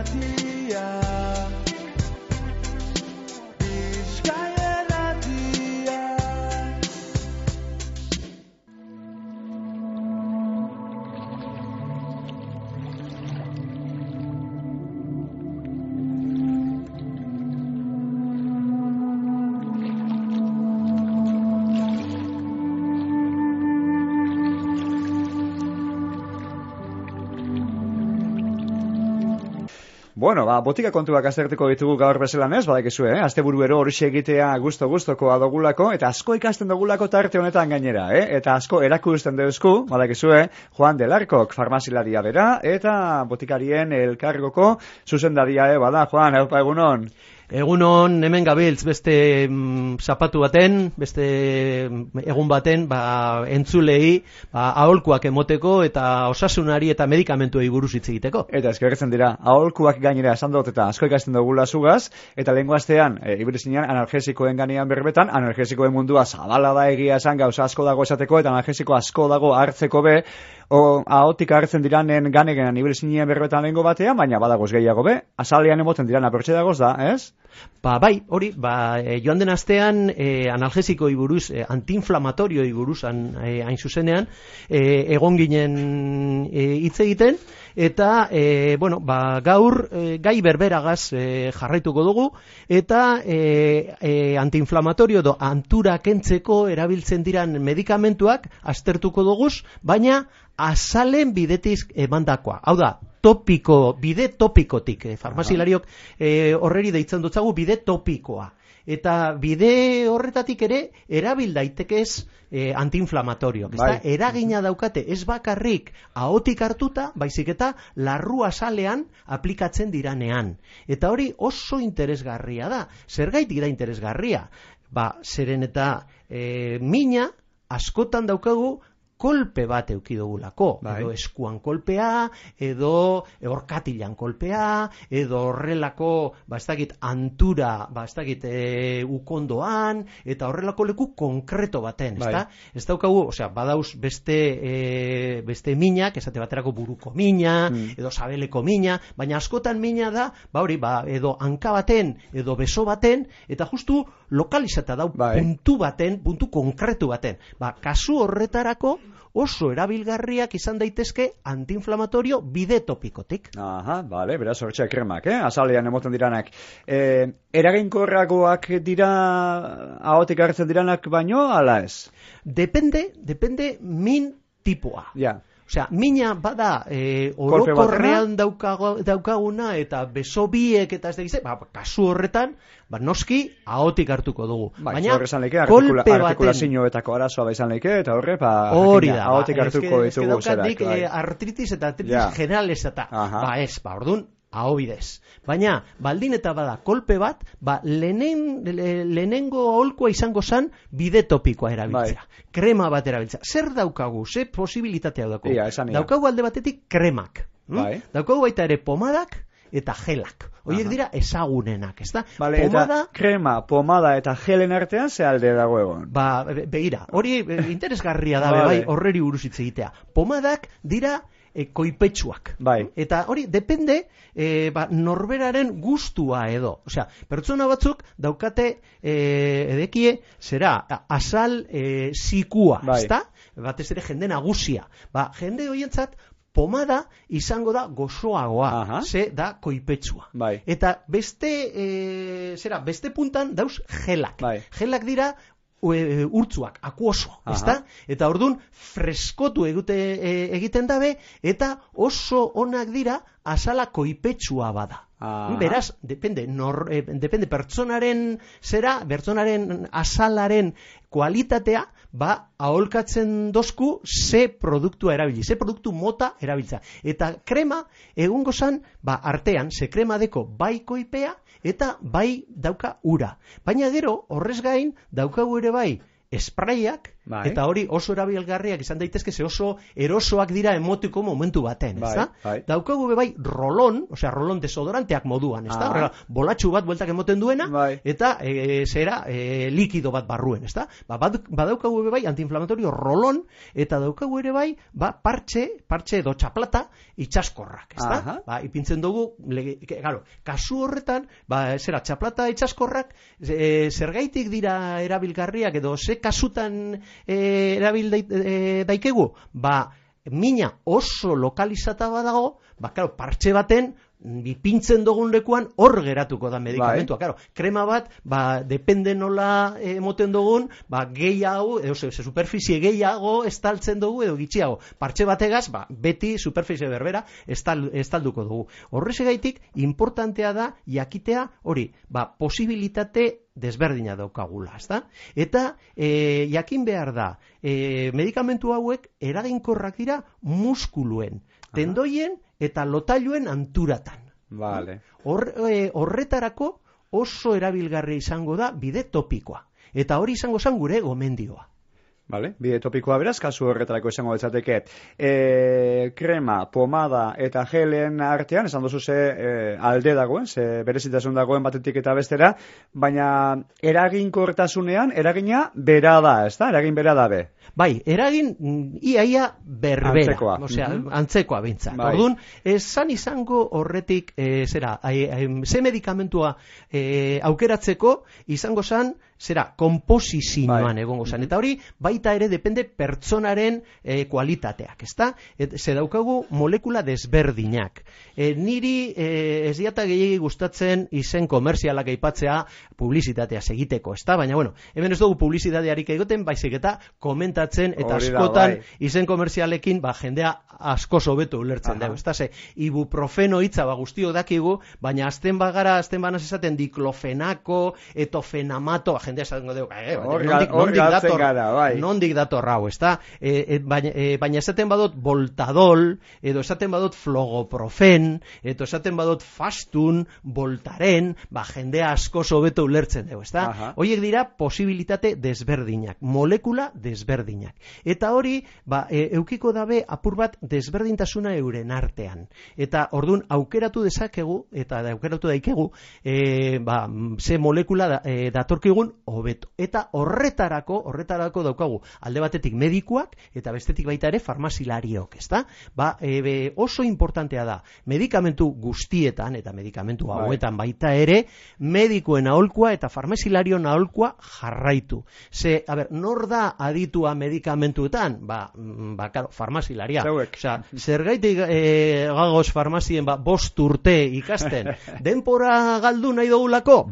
irratia. Bueno, botika kontuak aztertuko ditugu gaur bezalan ez, badakizue, asteburuero horixe egitea gusto-gustoko adogulako, eta asko ikasten dugulako tarte honetan gainera, eta asko erakusten deuzku, badakizue, Juan del Arcok farmazilaria bera, eta botikarien elkargoko zuzendaria, bada, Juan, haupa egunon. Egunon, hemen gabiltz beste zapatu baten, beste egun baten, entzulei, aholkuak emoteko eta osasunari eta medikamentuei buruz hitz egiteko. Eta eskerretzen dira, aholkuak gainera esan dut eta asko ikasten dugula zugaz, eta lehengo astean, ibirizinean analgesikoen ganean berbetan, analgesikoen mundua zabala da egia esan gauza asko dago esateko, eta analgesiko asko dago hartzeko be, ahotik hartzen diranen ganegenan ibirizinean berbetan lehengo batean, baina badagoz gehiago be, azalean emoten diran apertxe dagoz da, ez? Bai, hori, joan den astean analgesikoi buruz, antiinflamatorioi buruz hain zuzenean, egon ginen hitz egiten, eta, gaur gai berberagaz jarraituko dugu, eta antiinflamatorio edo antura kentzeko erabiltzen diran medikamentuak aztertuko duguz, baina azalen bidetik emandakoa. Hau da, bide topikotik, farmazilariok horreri deitzen dutzagu bide topikoa. Eta bide horretatik ere erabil daitekez antiinflamatoriok. Eragina daukate ez bakarrik ahotik hartuta, baizik eta larru azalean aplikatzen diranean. Eta hori oso interesgarria da. Zergaitik da interesgarria? Zeren eta mina askotan daukagu kolpe bat eduki dugulako, edo eskuan kolpea, edo orkatilan kolpea, edo horrelako, antura, ukondoan, eta horrelako leku konkreto baten, ezta? Ez daukagu, badauz beste minak, esate baterako buruko mina, edo sabeleko mina, baina askotan mina da, edo hanka baten, edo beso baten, eta justu lokalizata dau puntu baten, puntu konkretu baten. Kasu horretarako, oso erabilgarriak izan daitezke antiinflamatorio bide topikotik. Beraz hortxe kremak, azalean emoten diranak. Eraginkorragoak dira ahotik hartzen diranak baino, ala ez? Depende min tipua. Mina bada orokorrean daukaguna eta beso biek eta ez da gize, kasu horretan, noski ahotik hartuko dugu. Baina kolpe baten artikulazioetako arazoa izan leike eta horre ahotik hartuko ditugu zerak. Artritis eta artritis generalezata. Orduan, aho bidez. Baina, baldin eta bada kolpe bat, lehenengo aholkua izango zan bide topikoa erabiltzea. Krema bat erabiltzea. Zer daukagu? Ze posibilitatea daukagu? Daukagu alde batetik kremak. Daukagu baita ere pomadak eta gelak. Horiek dira ezagunenak, ez da? Eta krema, pomada eta gelen artean ze alde dago egon? Begira, hori interesgarria da, horreri buruz hitz egitea. Pomadak dira koipetsuak. Eta hori depende norberaren gustua edo. Pertsona batzuk daukate edekie azal zikua, ezta? Batez ere jende nagusia. Jende horientzat pomada izango da gozoagoa, ze da koipetsua. Eta beste puntan dauz gelak. Gelak dira urtzuak, akuoso, ezta? Eta orduan freskotu egiten dabe, eta oso onak dira azala koipetsua bada. Beraz, depende pertsonaren azalaren kualitatea, aholkatzen dozku ze produktua erabili, ze produktu mota erabiltza. Eta krema, egungo zan, artean, ze krema deko bai koipea, eta bai dauka ura. Baina gero, horrez gain, daukagu ere bai, espraiak, Eta hori oso erabilgarriak izan daitezke, ze oso erosoak dira emotiko momentu baten, ezta? Daukagu bai rolon, osea rolon desodoranteak moduan, ezta? Horrela, bolatxu bat bueltak emoten duena, eta likido bat barruen, ezta? Badaukagu bai antiinflamatorio rolon, eta daukagu ere bai, partxe edo txaplata itxaskorrak, ezta? Ipintzen dugu, kasu horretan, txaplata itxaskorrak, zergaitik dira erabilgarriak edo ze kasutan erabil daikegu? Mina oso lokalizata badago, partxe baten ipintzen dugun lekuan hor geratuko da medikamentua. Krema bat, depende nola emoten dugun, gehiago, superficie gehiago estaltzen dugu edo gitxiago. Partxe bategaz, beti superficie berbera estalduko dugu. Horrexegaitik, importantea da jakitea hori, posibilitate desberdina daukagula, ezta? Eta jakin behar da, medikamentu hauek eraginkorrak dira muskuluen, tendoien eta lotailuen anturatan. Horretarako oso erabilgarria izango da bide topikoa. Eta hori izango zen gure gomendioa. Bide topikoa beraz, kasu horretarako izango betzateke. Krema, pomada eta gelen artean, esan duzu alde dagoen, berezitasun dagoen batetik eta bestera, baina eraginkortasunean, eragina bera da, ez da? Eragin bera da be. Eragin iaia berbera. Antzekoa bintzak. Orduan, esan izango horretik, ze medikamentua aukeratzeko, izango zen, komposizioan egongo zen. Eta hori, baita ere depende pertsonaren kualitateak, ezta? Ze daukagu molekula desberdinak. Niri ez diata gehiagi gustatzen izen komerzialak aipatzea publizitatea egiteko, ezta? Baina, hemen ez dugu publizitatearik egoten, baizik eta komentatzen eta askotan izen komerzialekin jendea asko hobeto ulertzen dugu, ezta? Ibuprofeno hitza guztiok dakigu, baina azten banaz esaten diklofenako, etofenamato, jendea esaten dugu, nondik dator hau, ezta? Baina esaten badut voltadol, edo esaten badut flogoprofen, edo esaten badut fastun, voltaren, jendea asko hobeto ulertzen dugu, ezta? Horiek dira posibilitate desberdinak, molekula desberdinak. Eta hori, eukiko dabe apur bat desberdintasuna euren artean. Eta orduan aukeratu dezakegu, eta aukeratu daikegu, ze molekula datorkigun hobeto. Eta horretarako daukagu alde batetik medikuak eta bestetik baita ere farmazilariok, ezta? Oso importantea da medikamentu guztietan eta medikamentu hauetan baita ere medikuen aholkua eta farmazilarion aholkua jarraitu. Nor da aditua medikamentuetan? Farmazilaria. Zergaitik gagoz farmazien 5 urte ikasten? Denpora galdu nahi dugulako?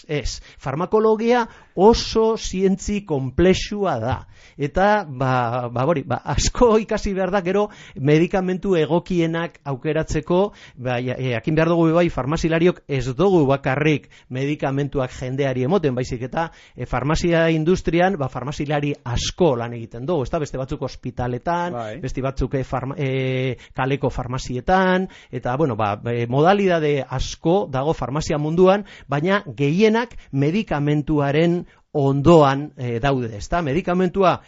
Ez. Farmakologia oso zientzi komplexua da. Eta, asko ikasi behar da, gero, medikamentu egokienak aukeratzeko, jakin behar dugu farmazilariok ez dugu bakarrik medikamentuak jendeari emoten, baizik eta farmazia industrian, farmazilari asko lan egiten dugu, beste batzuk ospitaletan, beste batzuk kaleko farmazietan, eta, modalidade asko dago farmazia munduan, baina gehienak medikamentuaren ondoan daude, ezta? Medikamentua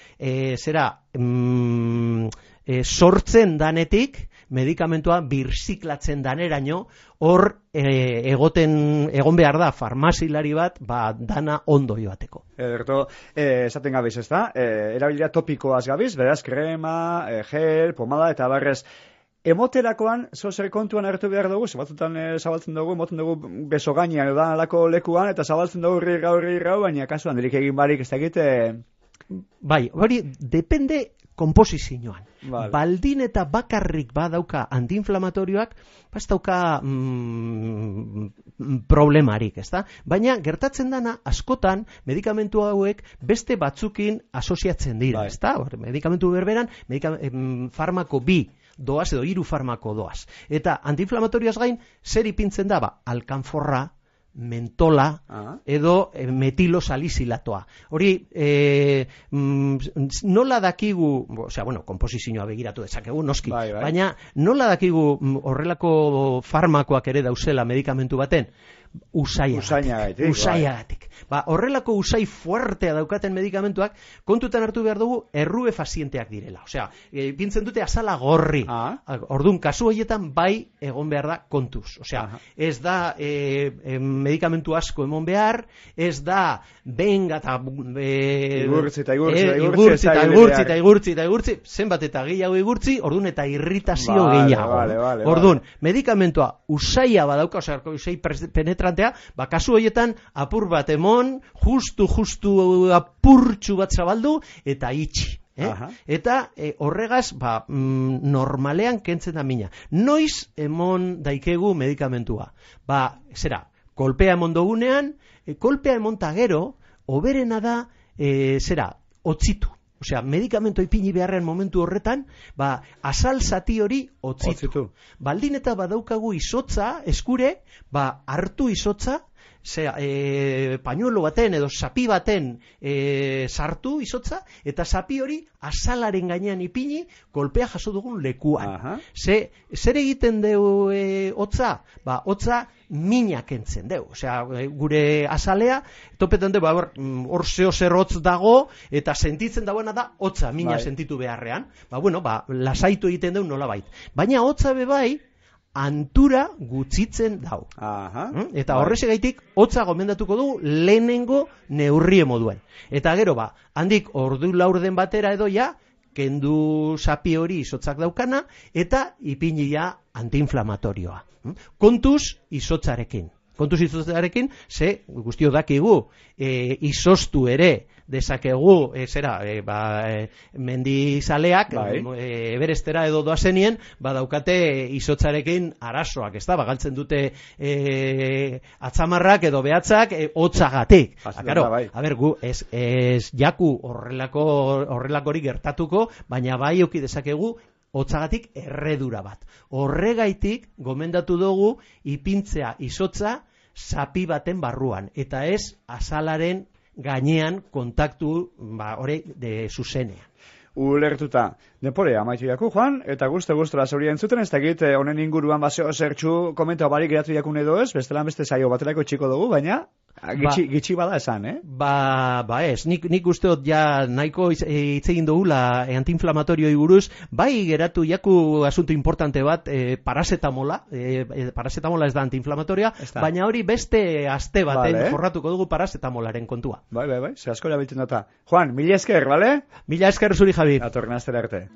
sortzen danetik, medikamentua birziklatzen daneraino, hor egon behar da farmazilari bat, dana ondo joateko. Ederto, esaten gabiz, ezta? Erabilia topikoaz gabiz, beraz, krema, gel, pomada eta barrez. Emoterakoan, zer kontuan hartu behar dugu, batzutan zabaltzen dugu, emoten dugu beso gainean, edo alako lekuan, eta zabaltzen dugu rirrau, baina kasuan delik egin barik ez dakite... Hori, depende komposizioan. Baldin eta bakarrik badauka antiinflamatorioak, ez dauka problemarik, ezta? Baina gertatzen dana askotan medikamentu hauek beste batzukin asoziatzen dira, ezta? Medikamentu berberan, farmako 2 doaz edo 3 farmako doaz. Eta antiinflamatorioaz gain, zer ipintzen da? Alkanforra, mentola edo metilosalicilatoa. Hori, nola dakigu, komposizioa begiratu dezakegu, noski, baina nola dakigu horrelako farmakoak ere dauzela medikamentu baten? usaiagatik. Horrelako usai fuertea daukaten medikamentuak kontutan hartu behar dugu errubefazienteak direla. Osea, pintzen dute azala gorri. Orduan, kasu horietan bai egon behar da kontuz. Osea, ez da medikamentu asko emon behar, ez da benga eta igurtzi, zenbat eta gehiago igurtzi, orduan eta irritazio gehiago. Orduan, medikamentua usaia badauka, osea, usai penetrantea, kasu horietan apur bat emon, justu apurtxu bat zabaldu, eta itxi. Eta horregaz normalean kentzen da mina. Noiz emon daikegu medikamentua? Kolpea emon dugunean, kolpea emonta gero, oberena da, otzitu. Osea, medikamentu ipini beharrean momentu horretan, azal zati hori otzitu. Baldin eta badaukagu izotza, eskure, hartu izotza, pañuelo baten edo sapi baten sartu izotza, eta sapi hori azalaren gainean ipini kolpea jaso dugun lekuan. Zer egiten deu hotza? Hotza mina kentzen deu. Osea, gure azalea, topetan deu, hor zer hotz dago, eta sentitzen dagoena da hotza, mina sentitu beharrean. Lasaitu egiten deu nolabait. Baina hotza bebai, antura gutxitzen dau. Eta horrezegaitik hotza gomendatuko dugu lehenengo neurrie moduen. Eta gero handik ordu laurden batera edo kendu sapi hori izotzak daukana eta ipinia antiinflamatorioa. Kontuz izotzarekin. Ze guztio dakigu izoztu ere dezakegu mendizaleak Everestera edo doazenien daukate izotzarekin arazoak, ez da, galtzen dute atzamarrak edo behatzak hotzagatik. Gu ez jaku horrelakori gertatuko, baina bai euki dezakegu hotzagatik erredura bat. Horregaitik gomendatu dugu ipintzea izotza zapi baten barruan, eta ez azalaren gainean kontaktu hori zuzenean. Ulertuta. Depore, amaitu jaku, Juan, eta guztu-guztura zauri entzuten, ez dakit honen inguruan zertxu komentau barik geratu jakun edo ez, bestelan beste saio baterako txiko dugu, baina gitxi bada esan, ez, nik usteot ja nahiko hitz egin dugula antiinflamatorioi buruz, bai geratu jaku asunto importante bat, parasetamola ez da antiinflamatoria, baina hori beste aste baten jorratuko dugu parasetamolaren kontua. Bai, ze asko erabiltzen data. Juan, mila esker, bale? Mila esker zuri, Javi. Atorren astera arte.